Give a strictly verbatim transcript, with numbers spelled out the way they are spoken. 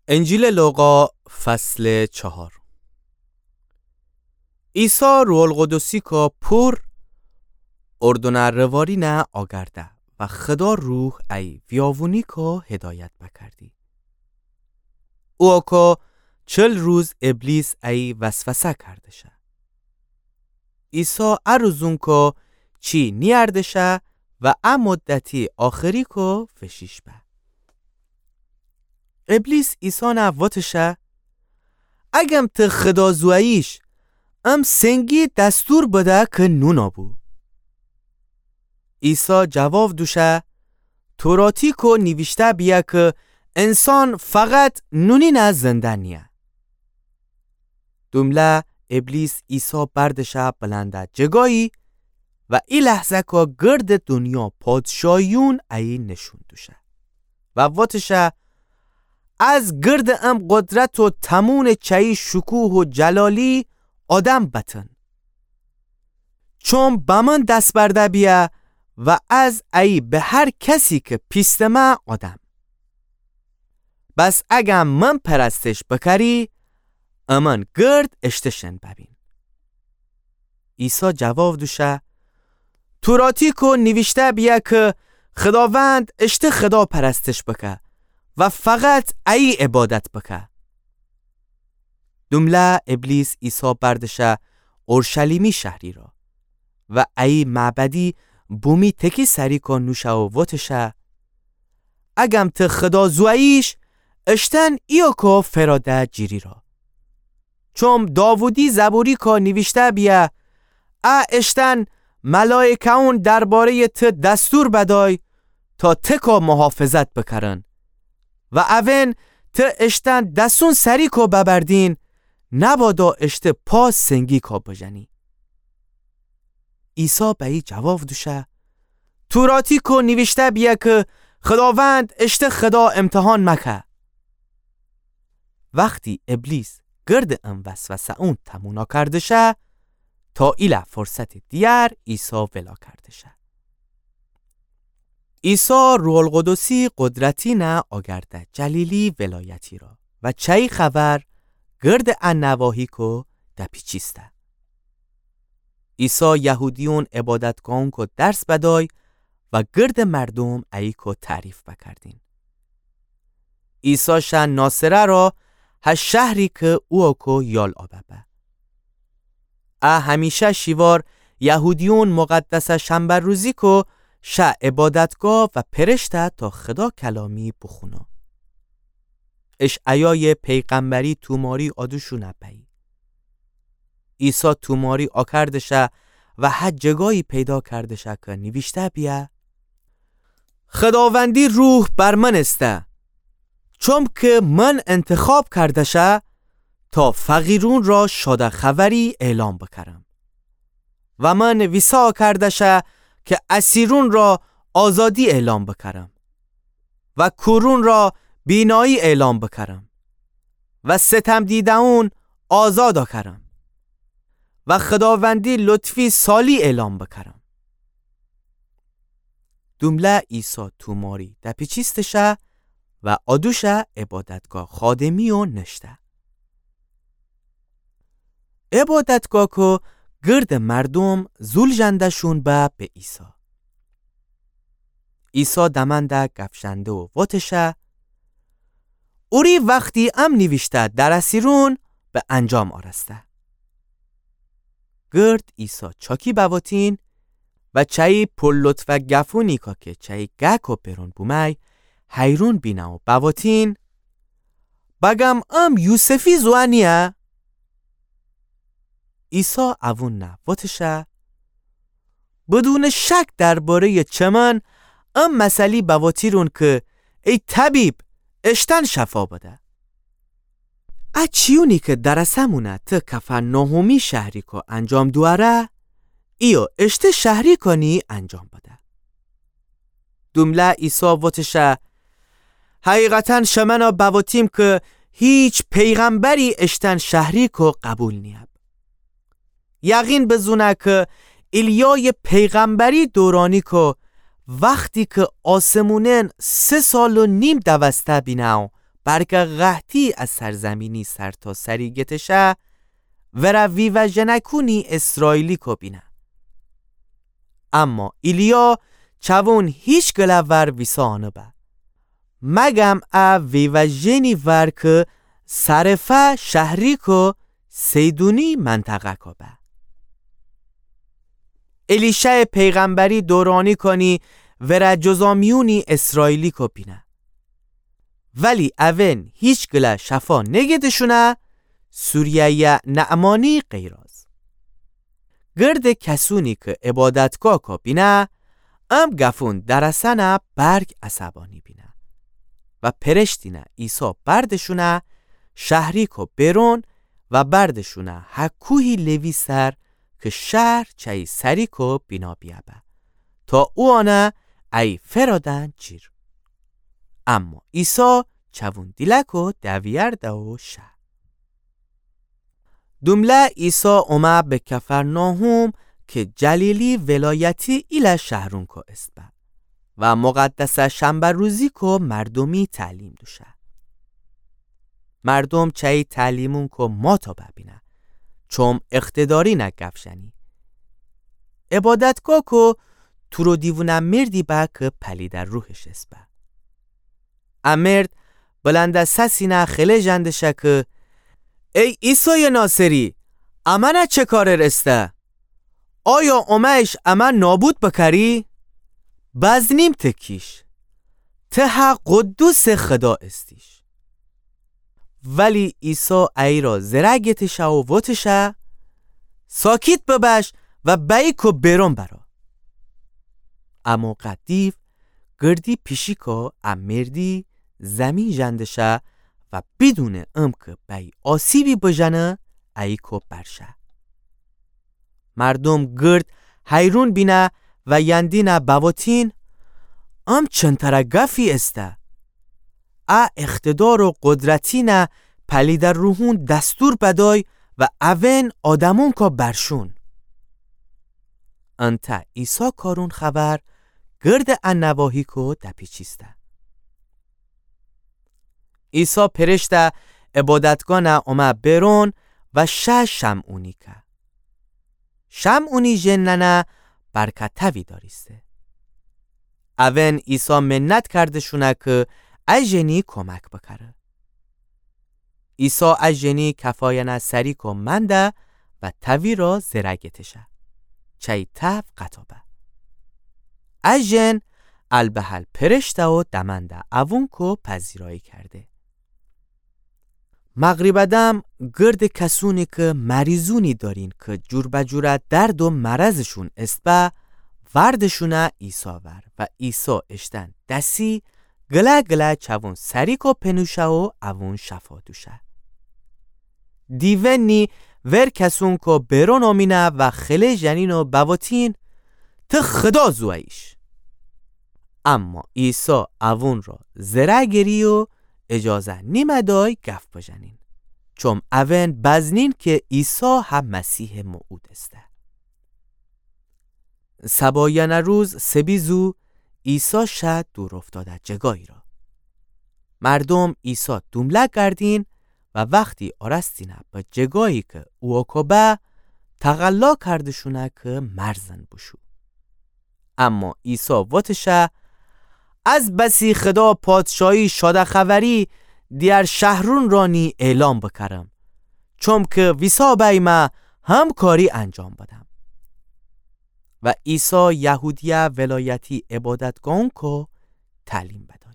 انجیلٚ لوقا، فصلٚ چهار. عیسی روح‌القدسی‌کا پور، اردنٚ روارینه آگرده و خدا روح ای ویاوونی‌کا هدایت بکردی. اوکو چل روز ابلیس ای وسوسه کردشه. عیسی ا روزونکو چی نیاردشه و ا مدتی آخریکو فشیش به. ابلیس عیسی نه وتشه: اگم ته خدا زوئیش، ام سنگی دستور بده که نون ابو. عیسی جواب دوشه: توراتیکو نیویشته بیه که انسان فقط نونی نه زنده نیه. دومله ابلیس عیسی بردشه بلنده جگایی و ای لحظه‌کا گردٚ دونیا پادشاهیون ایی نشون دوشه و وتشه: از گردٚ ام قدرت و تموم چه‌یی شکوه و جلالی آدم بتن. چون به من دس برده بیه و از ایی به هر کسی که پیستمه آدم. بس اگم من پرستش بکری، امن گرد اشته شن ببین. عیسی جواب دوشه: توراتیکو نیویشته بیه که خداوند اشته خدا پرستش بکه و فقط ایی عبادت بکه. دومله ابلیس عیسی بردشه اورشلیمی شهری را و ایی معبدی بومی تکی سریکو نوشه و وتشه: اگم ته خدا زوئیش، اشتن ایوکو فراده جیری را. چوم داوودی زبوریکو نیویشته بیه: ا اشتن ملائکه‌ون درباره‌یٚ ته دستور بدای تا تکو محافظت بکرن و اون ته اشتن دسون سریکو ببردین، نبادا اشته پا سنگیکو بجنی. عیسی به ای جواب دوشه: توراتیکو نیویشته بیه که خداوند اشته خدا امتحان مکه. وختی ابلیس گردٚ ام وسوسه‌اون تمونا کردشه، تا ایله فرصتٚ دیگر عیسی ولا کردشه. عیسی روح‌القدسی قدرتی نه آگرده جلیلی ولایتی را و چه‌یی خبر گردٚ ا نواحیکو دپیچیسته. عیسی یهودیون عبادتگاهونکو درس بدای و گردٚ مردوم ایکو تعریف بکردین. عیسی شه ناصره را، هه شهری که اوکو یال آبه به. ا همیشه شیوار یهودیون مقدسٚ شنبه روزیکو شه عبادتگاه و پرشته تا خدا کلامی بخونا. اشعیایٚ پیغمبری توماری آدوشونه بی. عیسی توماری آکردشه و هه جگایی پیدا کردشه که نیویشته بیه: خداوندی روح بر من استه، چوم که من انتخاب کردشه تا فقیرون را شاده خبری اعلام بکرم و من ویسا کردشه که اسیرون را آزادی اعلام بکرم و کورون را بینایی اعلام بکرم و ستم دیده‌ون آزاد آکرم و خداوندی لطفی سالی اعلام بکرم. دومله عیسی توماری دپیچیستشه و آدوشه عبادتگاه خادمی و نشته. عبادتگاهکو گردٚ مردوم زول ژنده‌شون به به عیسی. عیسی دمنده گپ ژنده و وتشه: اوری وختی ام نیویشته درسیرون به انجام آرسته. گرد عیسی چاکی بوتین و چه‌یی پرلطفٚ گفونیکا که چه‌یی گکو پرون بومی حیرون بینه و بوتین: بگم ام یوسفی زوئه نیه؟ عیسی اوون نه وتشه: بدونٚ شک درباره‌یٚ چمن ام مثلی بوتیرون که ای طبیب، اشتن شفا بده. ا چیونی که درسمونه ته کفرناحومی شهریکو انجام دواره، ایو اشته شهریکانی انجام بده. دومله عیسی وتشه: حقیقتاً شمنه بوتیم که هیچ پیغمبری اشتن شهریکو قبول نیب. یقین بزونه که ایلیایٚ پیغمبری دورانیکو وختی که آسمونن سه سال و نیم دوسته بینه و برکٚ قحطی از سرزمینی سرتاسری گتشه، ورأ ویوه‌ژنکونی اسرائیلیکو بینه. اما ایلیا چوون هیچ گله ور ویسا نوبه، مگم ا ویوه‌ژنی ور کی سرفه شهریکٚ سیدونی منطقه‌کو به. الیشه‌یٚ پیغمبری دورانیکانی ورأ جذامیونی اسرائیلیکو بینه. ولی اون هیچ گله شفا نگهدشونه، سوریه‌یٚ نعمانی غیراز. گردٚ کسونی کی عبادتگاهکو بینه، ام گفون درسنه برک عصبانی بینه و پرشتینه عیسی بردشونه شهریکٚ بیرون و بردشونه هه کوهی لوی سر کی شهر چأیی سریکٚ بینا بیأ به، تا اوانه ایی فئرادن جیر. اما عیسی چوون دیلکٚ دویرده و شه. دومله عیسی اومه به کفرناحوم کی جلیلی ولایتی ایله شهرونکو ایسه به و مقدسٚ شنبه روزیکو مردومی تعلیم دوشه. مردوم چأیی تعلیمونکو ماتو ببینه، چوم اقتدارینه گپ ژنی. عبادتگاهکو تورو دیوونٚ مردی به کی پلیدٚ روحش ایسه به. ا مرد بلندٚ سسینه خله ژندشه کی، ای عیسایٚ ناصری، امأنه چه کارٚ ایسه؟ آیا اومه‌ییش امه نابود بکری؟ بزنیم ته کیش. ته هه قدوسٚ خدا ایستیش. ولی عیسی ایرا زره گتشه و وتشه، ساکیت ببش و بأییکٚ بیرون برو. امو قدیو گردی پیشیکٚ ا مردی زیمین ژندشه و بیدونٚ امکٚ بأیی آسیبی بژنه، ایکٚ برشه. مردوم گرد حیرون بینه و یندینه بوتین، ام چنترٚ گفی ایسه؟ ا اقتدار و قدرتینه پلیدٚ روحون دستور بدأی و اون آدمونکٚ برشون. انتأ عیسی کارون خبر گردٚ ا نواحیکٚ دپیچیسته. عیسی پرشته عبادتگانه اومه بیرون و شه شمعونی که. شمعونی ژنأنه برکتوی دأریسته. اون عیسی منت کردشونه که ا ژنی کمک بکره. عیسی ا ژنی کفایأنه سریکٚ منده و توی را زره گتشه. چأیی تو قطا به. ا ژن البهل پرشته و دمأنده اوونکٚ پذیرایی کرده. مغریبٚ دم گردٚ کسونی که مریضونی دأرین که جوربه‌جورٚ درد و مرضشون ایسه به، وردشونه عیسی ور و عیسی اشتن دسی گله‌گله چوون سریکٚ پنوشه و اوون شفا دوشه. دیونی ور کسونکٚ بیرون اومینه و خله ژنین و بوتین، ته خدا زوییش. اما عیسی اوون را زره گری و اجازه نیمه دأی گف بژنین، چوم اون بزنین که عیسی هه مسیحٚ موعود ایسه. سبایأنٚ روز سبیزو عیسی شه دور افتاده جگایی را. مردوم عیسی دومله گردین و وختی آرستینه به جگایی که اوکو به، تقلا کردشونه که مرزن بوشو. اما عیسی وتشه، از بسی خدا پادشایی شاده‌خوری دیگر شهرون رانی اعلام بکرم، چوم که ویسا بیمه هم کاری انجام بدم. و عیسی یهودیه ولایتی عبادتگاهونکو تعلیم بده.